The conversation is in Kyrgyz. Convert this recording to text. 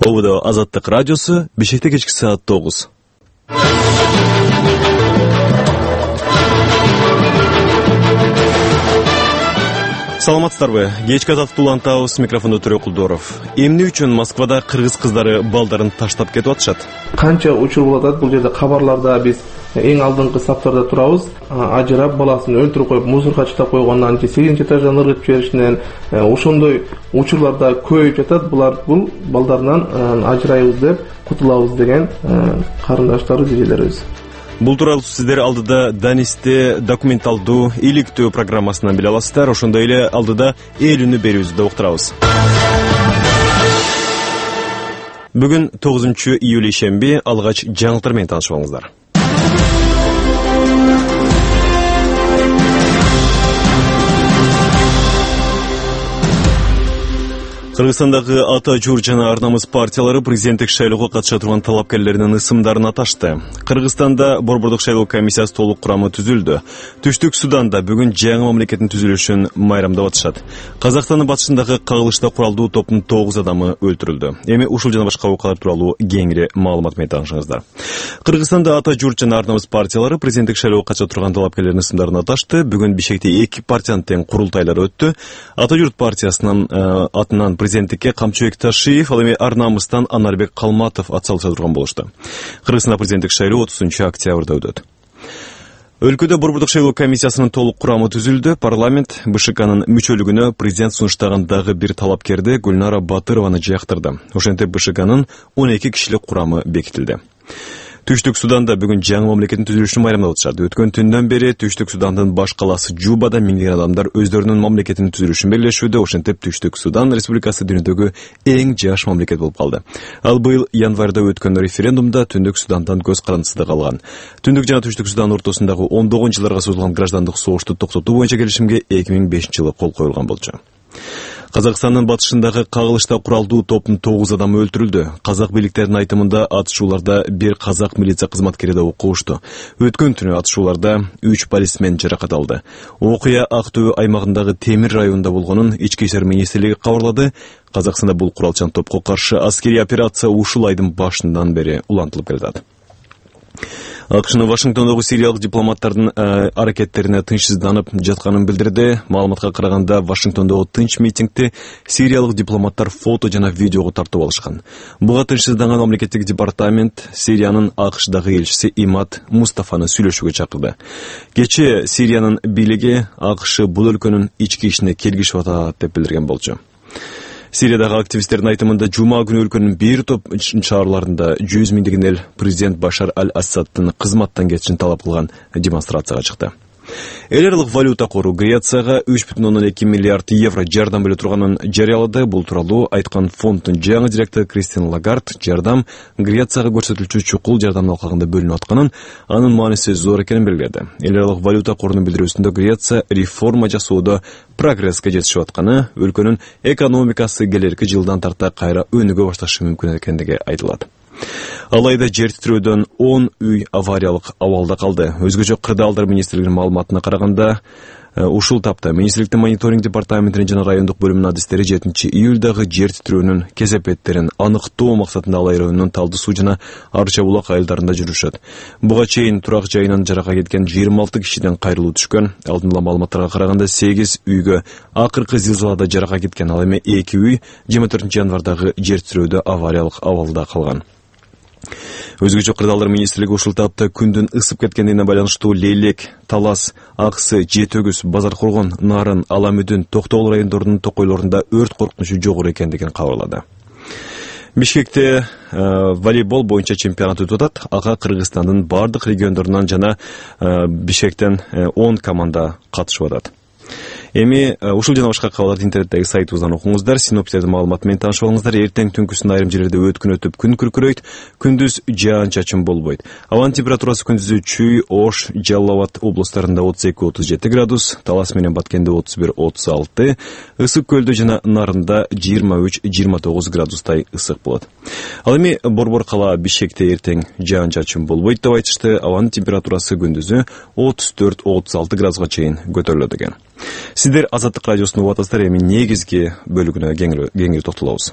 Ободо Азаттык радиосу, Бишкекте кечки саат 9. Саламатсыздарбы? Кечки азаттык улантабыз, микрофондо Төрө Кулдоров. Эмне үчүн Москвада кыргыз кыздары балдарын таштап кетип атышат? Канча учур болуп атат, бул жерде кабарларда биз эң алдыңкы саптарда турабыз. Ажырап баласын өлтүрүп коюп, мусорго чыктап койгондон, 8-нчи этаждан ыргытып жиберишинен, ошондой учурларда көбөйүп жатат. Бул балдарынан ажырайбыз деп, кутулабыз деген карындаштарыбыз, эжелерибиз. Бул тууралуу сиздер алдыда Данисте документалдуу иликтөө программасынан биле аласыздар. Ошондой эле алдыда эл үнү берүүбүздү уктурабыз. Бүгүн 9-июль ишемби, алгач жаңылыктар менен таанышып алыңыздар. Кыргызстандагы Ата Журт жана Ар намыс партиялары президенттик шайлоого катыша турган талапкерлердин ысымдарын аташты. Кыргызстанда борбордук шайлоо комиссиясы толук курамы түзүлдү. Түштүк Суданда бүгүн жаңы мамлекеттин түзүлүшүн майрамдап атышат. Казакстандын батышындагы кагылышта куралдуу топтун 9 адамы өлтүрүлдү. Эми ушул жана башка окуялар тууралуу кеңири маалымат менен таанышыңыздар. Кыргызстанда Ата Журт жана Ар намыс партиялары президенттик шайлоого катыша турган талапкерлердин ысымдарын аташты. Бүгүн Бишкекте 2 партиянын тең курултайлары өттү. Ата Журт партиясынын атынан президенттикке Камчыбек Ташиев, ал эми Ар намыстан Анарбек Калматов ат салыша турган болушту. Кыргызстанда президенттик шайлоо 30-октябрда өтөт. Өлкөдө борбордук шайлоо комиссиясынын толук курамы түзүлдү. Парламент БШКнын мүчөлүгүнө президент сунуштаган дагы бир талапкерди Гүлнара Батырованы жактырды. Ошентип БШКнын 12 кишилик курамы бекитилди. Түштүк Суданда бүгүн жаңы мамлекеттин түзүлүшүн майрамдап атышат. Өткөн түндөн бери Түштүк Судандын баш калаасы Жубада миңдеген адамдар өздөрүнүн мамлекетинин түзүлүшүн белгилешүүдө. Ошентип Түштүк Судан республикасы дүйнөдөгү эң жаш мамлекет болуп калды. Ал быйыл январда өткөн референдумда Түндүк Судандан көз карандысыздык алган. Түндүк жана Түштүк Судан ортосундагы 19 жылдарга созулган граждандык согушту токтотуу боюнча келишимге 2005-жылы кол коюлган болчу. Казакстандын батышындагы кагылышта куралдуу топтун 9 адамы өлтүрүлдү. Казак бийликтеринин айтымында атышууларда бир казак милиция кызматкери да окуп ушту. Өткөн түнү атышууларда 3 полисмен жаракат алды. Окуя Ак Төбө аймагындагы Темир районунда болгонун Ички иштер министрлиги кабарлады. Казакстанда бул куралчан топко каршы аскерий операция ушул айдын башынан бери улантылып келатат. АКШнын Вашингтондогу сириялык дипломаттардын аракеттерине тынчсызданып жатканын билдирди. Маалыматка караганда, Вашингтондогу тынч митингди сириялык дипломаттар фото жана видеого тартып алышкан. Буга тынчсызданган мамлекеттик департамент Сириянын АКШдагы элчиси Имад Мустафаны сүйлөшүүгө чакырды. Кечээ Сириянын бийлиги АКШ бул өлкөнүн ички ишине келгишип атат деп билдирген болчу. Сириядагы активисттердин айтымында жума күнү өлкөнүн бир топ шаарларында 100 миңдеген эл президент Башар аль-Асаддын кызматтан кетишин талап кылган демонстрацияга чыкты. Эл аралык валюта кору Грецияга 3,2 миллиард евро жардам бере турганын жарыялады. Бул тууралуу айткан фонддун жаңы директору Кристин Лагард жардам Грецияга көрсөтүлчү чукул жардамдын алкагында бөлүнүп атканын, анын мааниси зор экенин белгиледи. Эл аралык валюта корунун билдирүүсүндө Греция реформа жасоодо прогресске жетишип атканы, өлкөнүн экономикасы келерки жылдан тарта кайра өнүгө башташы мүмкүн экендиги айтылат. Алайда жер титирөөдөн 10 үй авариялык абалда калды. Өзгөчө кырдаалдар министрлигинин маалыматына караганда, ушул тапта министрликтин мониторинг департаментинин жана райондук бөлүмүнүн адистери 7-июлдагы жер титирөөнүн кесепеттерин аныктоо максатында Алай районунун Талды суу жана Арча булак айылдарында жүрүшөт. Буга чейин турак жайынан жарака кеткен 26 кишиден кайрылуу түшкөн. Алдын ала маалыматтарга караганда 8 үйгө акыркы зилзалада жарака кеткен, ал эми 2 үй 24 январдагы жер титирөөдө авариялык абалда калган. Өзгөчө кырдаалдар министрлиги ушул тапта күндүн ысып кеткенине байланыштуу Лейлек, Талас, Аксы, Жетөгүз, Базар Коргон, Нарын, Аламүдүн, Токтогул райондорунун токойлорунда өрт коркунучу жогору экендигин кабарлады. Бишкекте волейбол боюнча чемпионат өтүп атат. Ага Кыргызстандын бардык региондорунан жана Бишкектен 10 команда катышып атат. Эми ушул жана башка кабарларды интернеттеги сайтыбыздан окуңуздар. Синоптиктердин маалыматы менен таанышып алыңыздар. Эртең түнкүсүн айрым жерлерде өткүн өтүп күн күркүрөйт, күндүз жаан-чачын болбойт. Абанын температурасы күндүзү Чүй, Ош, Жалал Абад облустарында 32-37 градус, Талас менен Баткенде 31-36, Ысык көлдө жана Нарында 23-29 градустай ысык болот. Ал эми Борбор кала Бишкекте эртең жаан-чачын болбойт деп айтышты. Абанын температурасы күндүзү 34-36 градуска чейин көтөрүлөт экен. Сиздер Азаттык радиосун угуп атасыздар. Эми негизги бөлүгүнө кеңири токтолобуз.